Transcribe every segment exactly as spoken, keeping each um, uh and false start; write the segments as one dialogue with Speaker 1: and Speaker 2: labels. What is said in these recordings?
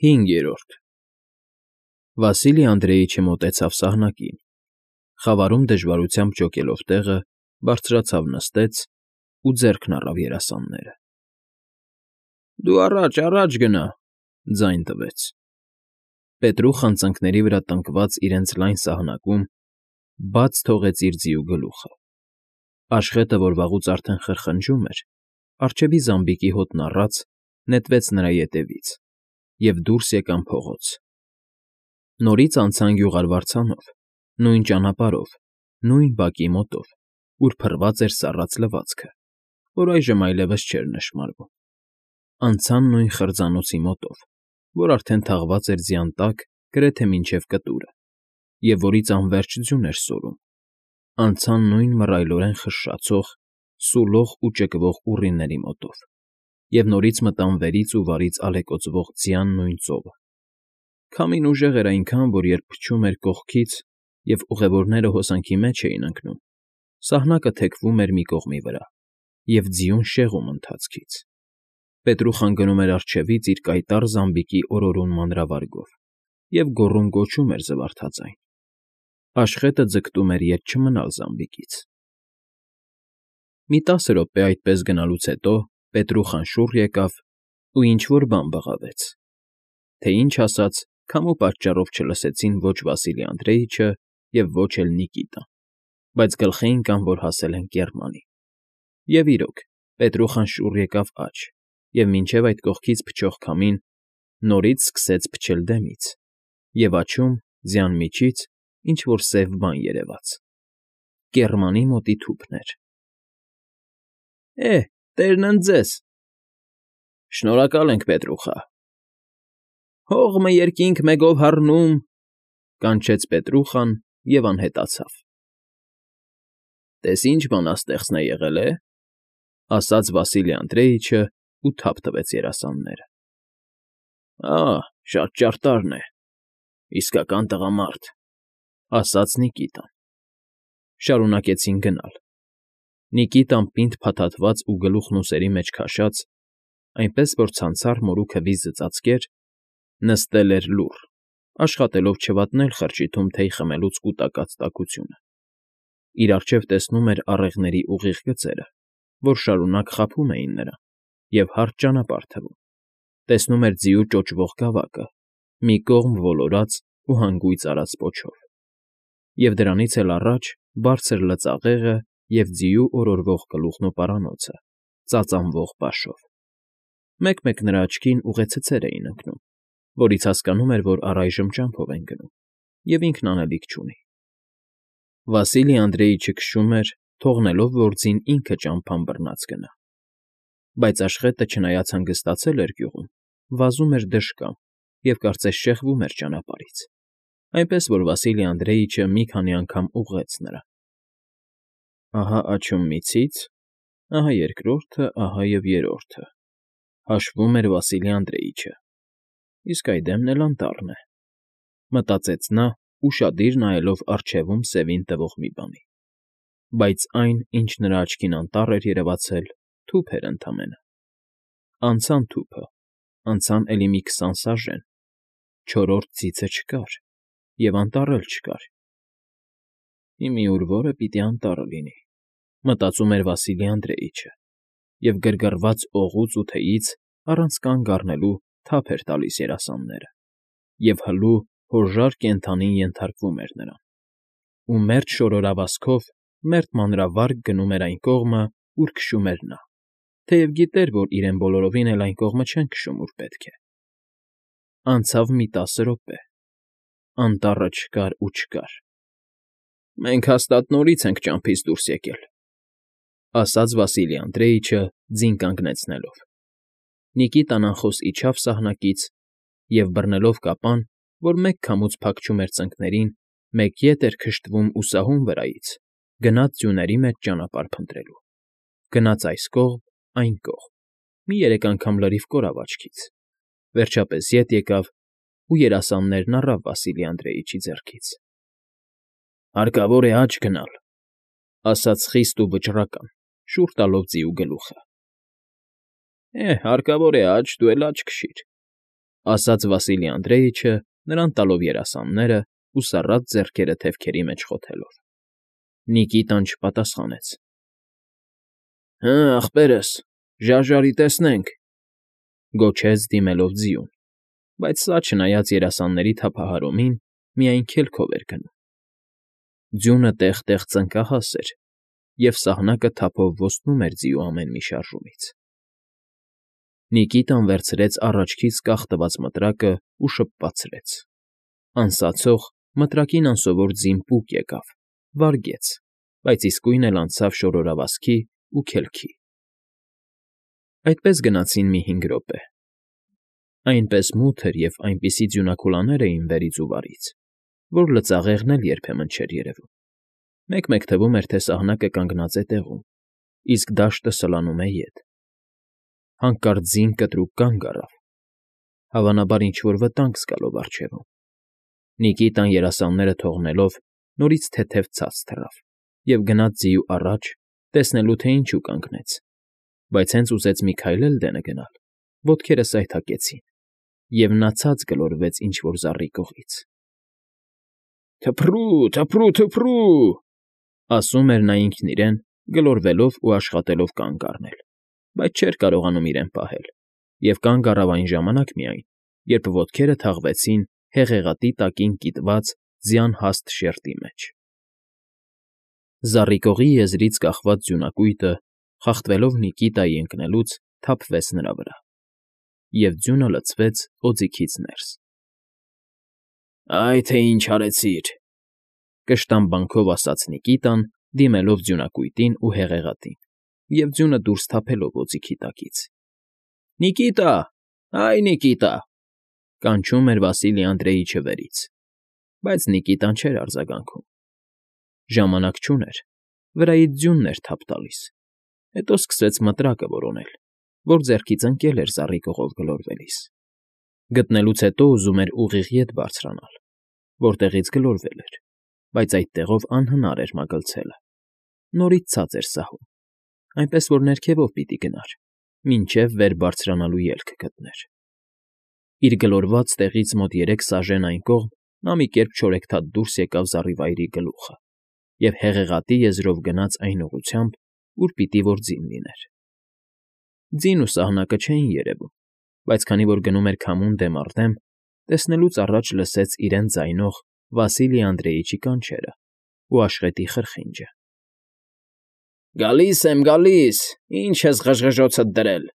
Speaker 1: Հինգերորդ Վասիլի Անդրեիչը մոտեցավ սահնակին, խավարում դժվարությամբ ջոկելով տեղը, բարձրացավ նստեց ու ձեռքն առավ երասանները։ ֊ Դու առաջ, առաջ գնա,֊ ձայն տվեց։ Պետրուխան ծնկների վրա տնկված իրենց լայն սահնակում բաց թողեց իր ձիու գլուխը։ Աշխետը, որ վաղուց արդեն խրխնջում էր, առջևի զամբիկի հոտն առած, նետվեց նրա ետևից, և դուրս եկան փողոց։ Նորից անցան գյուղարվարձանով, նույն ճանապարհով, նույն բակի մոտով, ուր փռված էր սառած լվացքը, որ այժմ այլևս չէր նշմարվում։ Անցան նույն խրձանոցի մոտով, որ արդեն թաղված էր ձյան տակ գրեթե մինչև կտուրը, և որից անվերջ ձյուն էր սորում։ Անցան նույն մռայլորեն խշշացող, սուլող ու ճկվող ուռիների մոտով, և նորից մտան վերից ու վարից ալեկոծվող ձյան նույն ծովը։ Քամին ուժեղ էր այնքան, որ երբ փչում էր կողքից և ուղևորները հոսանքի մեջ էին ընկնում, սահնակը թեքվում էր մի կողմի վրա, և ձիուն շեղում ընթացքից։ Պետրուխան գնում էր առջևից իր կայտառ զամբիկի օրորուն մանրավարգով և գոռում֊գոչում էր զվարթաձայն։ Աշխետը ձգտում էր ետ չմնալ զամբիկից։ Մի տասը րոպե այդպես գնալուց հետո Պետրուխան շուռ եկավ ու ինչ֊որ բան բղավեց, թե ինչ ասաց, քամու պատճառով չլսեցին ոչ Վասիլի Անդրեիչը և ոչ էլ Նիկիտան, բայց գլխի ընկան, որ հասել են կեռմանի։ Եվ իրոք, Պետրուխան շուռ եկավ աջ, և մինչև այդ կողքից փչող քամին նորից սկսեց փչել դեմից, և աջում, ձյան միջից, ինչ֊որ սև բան երևաց. կեռմանի մոտի թուփն էր։ ֊ Է, տերն ընդ ձեզ,֊ Շնորհակալ ենք, Պետրուխա։ ֊ Հողմը երկինք մեգով հառնում,֊ կանչեց Պետրուխան և անհետացավ։ ֊ Տես ինչ բանաստեղծն է եղել, է,֊ ասաց Վասիլի Անդրեիչը ու թափ տվեց երասանները։ ֊ Ա՜, շատ ճարտարն է, իսկական տղամարդ,֊ ասաց Նիկիտան։ Շարունակեցին գնալ։ Նիկիտան պինդ փաթաթված ու գլուխն ուսերի մեջ քաշած, այնպես որ ցանցառ մորուքը վիզը ծածկեր, նստել էր լուռ, աշխատելով չվատնել խրճիթում թեյ խմելուց կուտակած տաքությունը։ Իր առջև տեսնում էր առեղների ուղիղ գծերը, որ շարունակ խաբում էին նրան և հարթ ճանապարհ թվում, տեսնում էր ձիու ճոճվող գավակը, մի կողմ ոլորած ու հանգույց արած պոչով, և դրանից էլ առաջ բարձր լծաղեղը և ձիու օրորվող գլուխն ու պարանոցը, ծածանվող պաշով։ Մեկ֊մեկ նրա աչքին ուղեցցեր էին ընկնում, որից հասկանում էր, որ առայժմ ճամփով են գնում, և ինքն անելիք չունի։ Վասիլի Անդրեիչը քշում էր, թողնելով, որ ձին ինքը ճամփան բռնած գնա։ Բայց աշխետը, չնայած հանգստացել էր գյուղում, վազում էր դժկամ և կարծես շեղվում էր ճանապարհից, այնպես որ Վասիլի Անդրեիչը մի քանի անգամ ուղղեց նրան։ Ահա աջում մի ցից, ահա երկրորդը, ահա և երրորդը, հաշվում էր Վասիլի Անդրեիչը, իսկ այ դեմն էլ անտառն է, մտածեց նա, ուշադիր նայելով առջևում սևին տվող մի բանի։ Բայց այն, ինչ նրա աչքին անտառ էր երևացել, թուփ էր ընդամենը։ Անցան թուփը, անցան էլի մի քսան սաժեն, չորրորդ ցիցը չկար, և անտառ էլ չկար։ «Ի մի ուր որը պիտի անտառը լինի,֊ մտածում էր Վասիլի Անդրեիչը, և գրգռված օղուց ու թեյից առանց կանգ առնելու թափ էր տալիս երասանները, և հլու, հոժար կենդանին ենթարկվում էր նրան, ու մերթ շորորավազքով մերթ մանրավարգ գնում էր այն կողմը, ուր քշում էր նա, թեև գիտեր, որ իրեն բոլորովին էլ այն կողմը չեն քշում, ուր պետք է։ Անցավ մի տասը րոպե, անտառը չկար ու չկար։ «Մենք հաստատ նորից ենք ճամփից դուրս եկել,֊ ասաց Վասիլի Անդրեիչը, ձին կանգնեցնելով։ Նիկիտան անխոս իջավ սահնակից և, բռնելով կապան, որ մեկ քամուց փակչում էր ծնկներին, մեկ ետ էր քշտվում ու սահուն վրայից, գնաց ձյուների մեջ ճանապարհ փնտրելու։ Գնաց այս կողմ, այն կողմ, մի երեք անգամ լրիվ կորավ աչքից, վերջապես ետ եկավ ու երասաններն առավ Վասիլի Անդրեիչի ձեռքից։ ֊ Հարկավոր է աջ գնալ,֊ ասաց խիստ ու վճռական, շուռ տալով ձիու գլուխը։ ֊ Է, հարկավոր է աջ, դու էլ աջ քշիր։ Ասաց Վասիլի Անդրեիչը, նրան տալով երասանները ու սառած ձեռքերը թևքերի մեջ խոթելով։ Նիկիտան չպատասխանեց։ ֊ Հը, ախպերս, ժարժարի տեսնենք,֊ գոչեց դիմելով ձիուն, բայց սա, չնայած երասանների թափահարումին, միայն քելքով էր գնում։ Ձյունը տեղ֊տեղ ծնկահաս էր, և սահնակը թափով ոսնում էր ձիու ամեն մի շարժումից։ Նիկիտան վերցրեց առաջքից կախ տված մտրակն ու շփվածրեց։ Անսացող, մտրակին անսովոր ձին պուկ եկավ, վարգեց, բայց իսկույն էլ անցավ շորորավազքի ու քելքի։ Այդպես գնացին մի հինգ րոպե։ Այնպես մութ էր և այնպիսի ձյունակուլաներ էին վերից ու վարից, որ լծաղեղն էլ երբեմն չէր երևում։ Մեկ֊մեկ թվում էր, թե սահնակը կանգնած է տեղում, իսկ դաշտը սլանում է ետ։ Հանկարծ ձին կտրուկ կանգ առավ, հավանաբար ինչ֊որ վտանգ զգալով առջևում։ Նիկիտան երասանները թողնելով նորից թեթև ցած թռավ և գնաց ձիու առաջ, տեսնելու, թե ինչու կանգնեց, բայց հենց ուզեց մի քայլ էլ դենը գնալ, ոտքերը սայթաքեցին, և նա ցած գլորվեց ինչ֊որ զառիկողից։ «Թփրու, թփրու, թփրու…֊ ասում էր նա ինքն իրեն, գլորվելով ու աշխատելով կանգ առնել, բայց չէր կարողանում իրեն պահել, և կանգ առավ այն ժամանակ միայն, երբ ոտքերը թաղվեցին հեղեղատի տակին կիտված ձյան հաստ շերտի մեջ։ Զառիկողի եզրից կախված ձյունակույտը, խախտվելով Նիկիտայի ընկնելուց, թափվեց նրա վրա, և ձյունը լցվեց օձիքից ներս։ «Այ թե ինչ արեցիր,֊ կշտամբանքով ասաց Նիկիտան, դիմելով ձյունակույտին ու հեղեղատին և ձյունը դուրս թափելով օձիքի տակից։ ֊ Նիկիտա, հայ Նիկիտա…֊ կանչում էր Վասիլի Անդրեիչը վերից, բայց Նիկիտան չէր արձագանքում։ Ժամանակ չուներ, վրայից ձյունն էր թափ տալիս, հետո սկսեց մտրակը որոնել, որ ձեռքից ընկել էր զառիկողով գլորվելիս։ Գտնելուց հետո ուզում էր ուղիղ ետ բարձրանալ, որտեղից գլորվել էր, բայց այդ տեղով անհնար էր մագլցելը։ Նորից ցած էր սահում, այնպես որ ներքևով պիտի գնար, մինչև վեր բարձրանալու ելք գտներ։ Իր գլորված տեղից մոտ երեք սաժեն այն կողմ նա մի կերպ չորեքթաթ դուրս եկավ զառիվայրի գլուխը և հեղեղատի եզրով գնաց այն ուղղությամբ, ուր պիտի որ ձին լիներ։ Ձին ու սահնակը չէին երևում, բայց քանի որ գնում էր քամուն դեմ առ դեմ, տեսնելուց առաջ լսեց իրեն ձայնող Վասիլի Անդրեիչի կանչերը ու աշխետի խրխինջը։ ֊ Գալի՜ս եմ, գալի՜ս, ի՞նչ ես ղժղժոցդ դրել,֊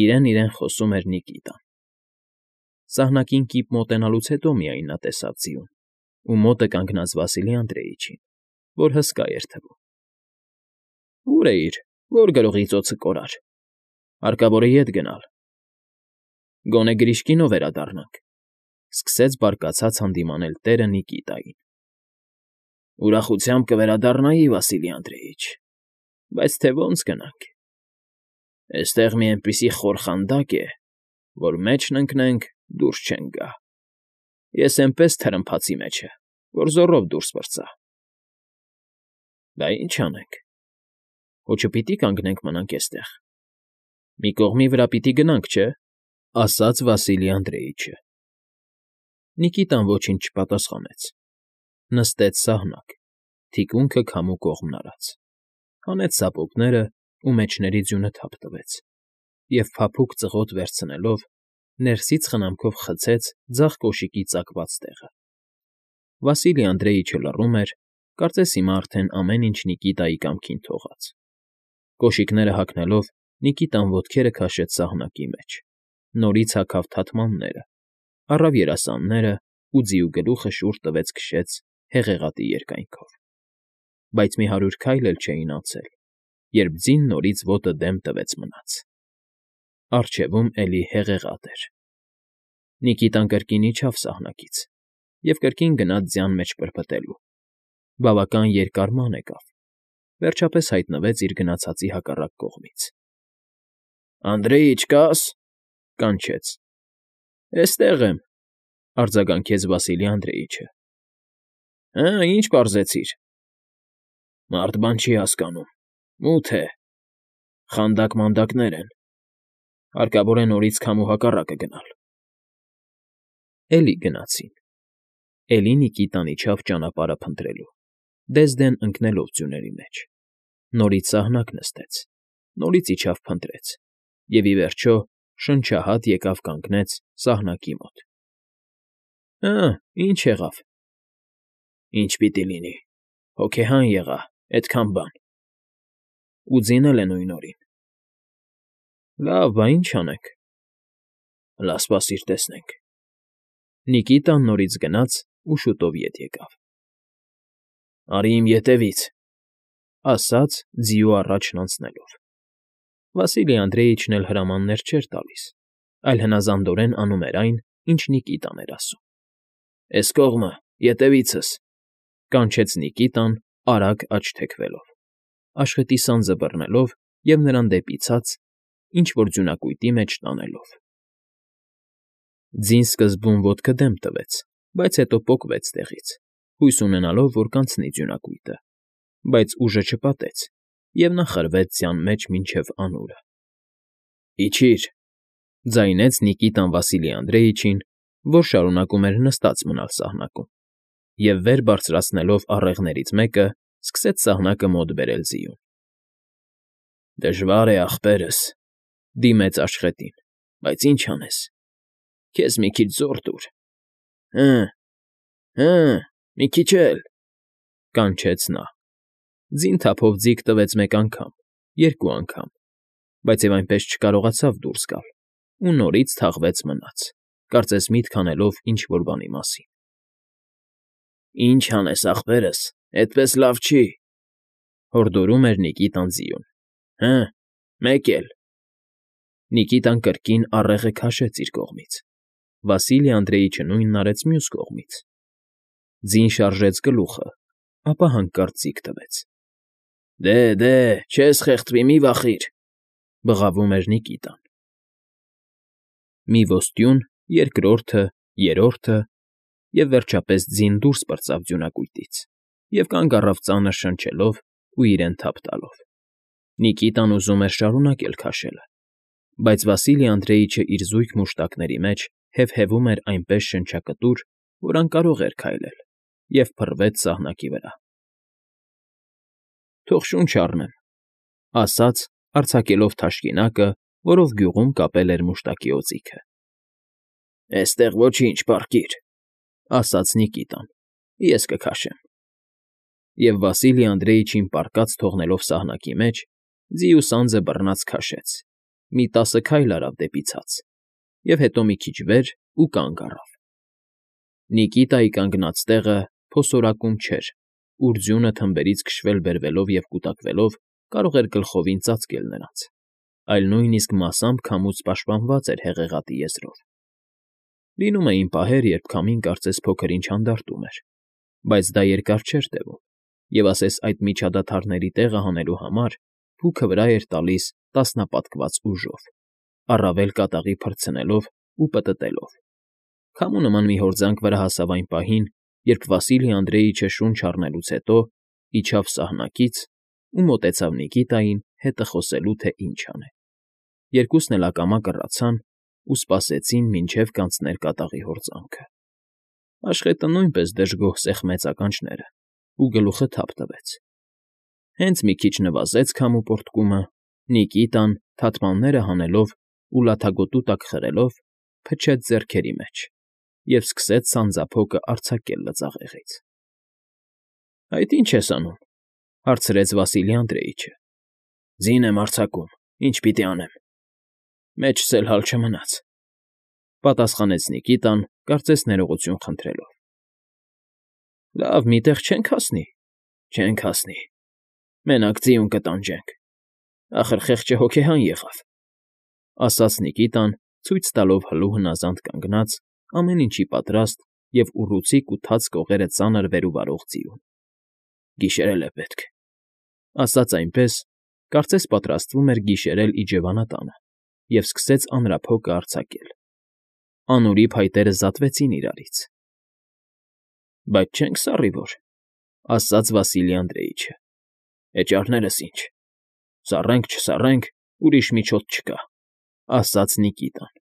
Speaker 1: իրեն֊իրեն խոսում էր Նիկիտան։ Սահնակին կիպ մոտենալուց հետո միայն նա տեսավ ձիուն ու մոտը կանգնած Վասիլի Անդրեիչին, որ հսկա էր թվում։ ֊ Ո՞ւր էիր, որ գրողի ծոցը կորար, հարկավոր է ետ գնալ։ ֊ Գոնե գրիշկինով վերադառնանք,֊ սկսեց բարկացած հանդիմանել տերը Նիկիտային։ ֊ Ուրախությամբ կվերադառնայի, Վասիլի Անդրեիչ, բայց թե ո՜նց գնանք։ Էստեղ մի էնպիսի խոր խանդակ է, որ մեջն ընկնենք, դուրս չենք գա։ Ես էնպես թրմփացի մեջը, որ զոռով դուրս պրծա։ ֊ Բա ինչ անենք, հո չպիտի կանգնենք մնանք էստեղ, մի կողմի վրա պիտի գնանք, չէ՞, ասաց Վասիլի Անդրեիչը։ Նիկիտան ոչինչ չպատասխանեց։ Նստեց սահնակ, թիկունքը քամու կողմն արած, հանեց զապուկները ու մեջների ձյունը թափ տվեց և, փափուկ ծղոտ վերցնելով, ներսից խնամքով խցեց ձախ կոշիկի ծակված տեղը։ Վասիլի Անդրեիչը լռում էր, կարծես հիմա արդեն ամեն ինչ Նիկիտայի կամքին թողած։ Կոշիկները հագնելով՝ Նիկիտան ոտքերը քաշեց սահնակի մեջ, նորից հագավ թաթմանները, առավ երասանները ու ձիու գլուխը շուռ տվեց քշեց հեղեղատի երկայնքով։ Բայց մի հարյուր քայլ էլ չէին անցել, երբ ձին նորից ոտը դեմ տվեց մնաց։ Առջևում էլի հեղեղատ էր։ Նիկիտան կրկին իջավ սահնակից և կրկին գնաց ձյան մեջ պրպտելու։ Բավական երկար ման եկավ, վերջապես հայտնվեց իր գնացածի հակառակ կողմից։ ֊ Անդրեիչ, կա՞ս,֊ կանչեց։ ֊ Էստեղ եմ,֊ արձագանքեց Վասիլի Անդրեիչը։ ֊ Հը, ի՞նչ պարզեցիր։ ֊ Մարդ բան չի հասկանում, մութ է, խանդակ֊մանդակներ են, հարկավոր է նորից քամու հակառակը գնալ։ Էլի գնացին։ Էլի Նիկիտան իջավ ճանապարհը փնտրելու, դեսդեն ընկնելով ձյուների մեջ, նորից սահնակ նստեց, նորից իջավ փնտրեց և, ի վերջո, շնչահատ եկավ կանգնեց սահնակի մոտ։ Հը, ի՞նչ եղավ։ Ինչ պիտի լինի, հոգեհան եղա, էդքան բան։ Ու ձինել է նույն օրին։ Լավ, բա ի՞նչ անենք։ Հլա սպասիր տեսնենք։ Նիկիտան նորից գնաց ու շուտով ետ եկավ։ Արի իմ ետևից, ասաց ձիու առաջն անցնելով։ Վասիլի Անդրեիչն էլ հրամաններ չէր տալիս, այլ հնազանդորեն անում էր այն, ինչ Նիկիտան էր ասում։ Էս կողմը, ետևիցս, կանչեց Նիկիտան արագ աջ թեքվելով, աշխատի սանձը բռնելով և նրան դեպի ցած, ինչ֊որ ձյունակույտի մեջ տանելով։ Ձին սկզբում ոտքը դեմ տվեց, բայց հետո պոկվեց տեղից, հույս ունենալով, որ կանցնի ձյունակույտը, բայց ուժը չպատեց, և նա խրվեց ձյան մեջ մինչև անունը։ Իջի՛ր,֊ ձայնեց Նիկիտան Վասիլի Անդրեիչին, որ շարունակում էր նստած մնալ սահնակում, և վեր բարձրացնելով առեղներից մեկը, սկսեց սահնակը մոտ բերել ձիուն։ Դժվար է, ախպերս,֊ դիմեց աշխատին,֊ բայց ինչ անես, քեզ մի քիչ զոռ տուր։ Հը՛, հը՛, մի քիչ էլ,֊ կանչեց նա։ Ձին թափով ձիգ տվեց մեկ անգամ, երկու անգամ, բայց և այնպես չկարողացավ դուրս գալ ու նորից թաղվեց մնաց, կարծես միտք անելով ինչ֊որ բանի մասին։ Ինչ անես, ախպերս, էդպես լավ չի,֊ հորդորում էր Նիկիտան ձիուն։ Հը՛, մեկ էլ… Նիկիտան կրկին առեղը քաշեց իր կողմից, Վասիլի Անդրեիչը նույնն արեց մյուս կողմից։ Ձին շարժեց գլուխը, ապա հանկարծ ձիգ տվեց։ Դե, դե, չես խեղդվի, մի վախիր,֊ բղավում էր Նիկիտան։ Մի ոստյուն, երկրորդը, երրորդը, և, վերջապես, ձին դուրս պրծավ ձյունակույտից և կանգ առավ ծանր շնչելով ու իրեն թափ տալով։ Նիկիտան ուզում էր շարունակել քաշելը, բայց Վասիլի Անդրեիչը իր զույգ մուշտակների մեջ հևհևում էր այնպես շնչակտուր, որ անկարող էր քայլել, և փռվեց սահնակի վրա։ Թող շունչ առնեմ,֊ ասաց, արձակելով թաշկինակը, որով գյուղում կապել էր մուշտակի օձիքը։ Էստեղ ոչինչ, պառկիր,֊ ասաց Նիկիտան,֊ ես կքաշեմ։ Եվ Վասիլի Անդրեիչին պառկած թողնելով սահնակի մեջ, ձիու սանձը բռնած քաշեց, մի տասը քայլ արավ դեպի ցած, և հետո մի քիչ վեր ու կանգ առավ։ Նիկիտայի կանգնած տեղը փոսորակում չէր, ուր ձյունը թմբերից քշվել֊բերվելով և կուտակվելով կարող էր գլխովին ծածկել նրանց, այլ նույնիսկ մասամբ քամուց պաշտպանված էր հեղեղատի եզրով։ Լինում էին պահեր, երբ քամին կարծես փոքր֊ինչ հանդարտում էր, բայց դա երկար չէր տևում, և ասես այդ միջադադարների տեղը հանելու համար փուքը վրա էր տալիս տասնապատկված ուժով, առավել կատաղի փռցնելով ու պտտելով։ Քամու նման մի հորձանք վրա հասավ այն պահին, երբ Վասիլի Անդրեիչը շունչ առնելուց հետո իջավ սահնակից ու մոտեցավ Նիկիտային՝ հետը խոսելու, թե ինչ անե։ Երկուսն էլ ակամա կռացան ու սպասեցին, մինչև կանցներ կատաղի հորձանքը։ Աշխետը նույնպես դժգոհ սեղմեց ականջները ու գլուխը թափ տվեց։ Հենց մի քիչ նվազեց քամու պոռթկումը, Նիկիտան, թաթմանները հանելով ու լաթագոտու տակ խրելով, փչեց ձեռքերի մեջ և սկսեց սանձափոկը արձակել լծաղեղից։ Այդ ի՞նչ ես անում,֊ հարցրեց Վասիլի Անդրեիչը։ Ձին եմ արձակում, ինչ պիտի անեմ։ Մեջս էլ հալ չմնաց,֊ պատասխանեց Նիկիտան, կարծես ներողություն խնդրելով։ Լավ, մի տեղ չենք հասնի։ Չենք հասնի, մենակ ձիուն կտանջենք, ախր խեղճը հոգեհան եղավ,֊ ասաց Նիկիտան, ցույց տալով հլու հնազանդ կանգնած, ամեն ինչի պատրաստ և ուռուցիկ ու թաց կողերը ծանր վեր ու վարող ձիուն։ Գիշերել է պետք,֊ ասաց այնպես, կարծես պատրաստվում էր գիշերել իջևանատանը, և սկսեց ամրափոկը արձակել։ Անուրի փայտերը զատվեցին իրարից։ Բայց չենք սառի որ,֊ ասաց Վասիլի Անդրեիչը։ Էճառներս ինչ, սառենք, չսառենք, ուրիշ միջոց չկա,֊ ասաց Նիկիտան։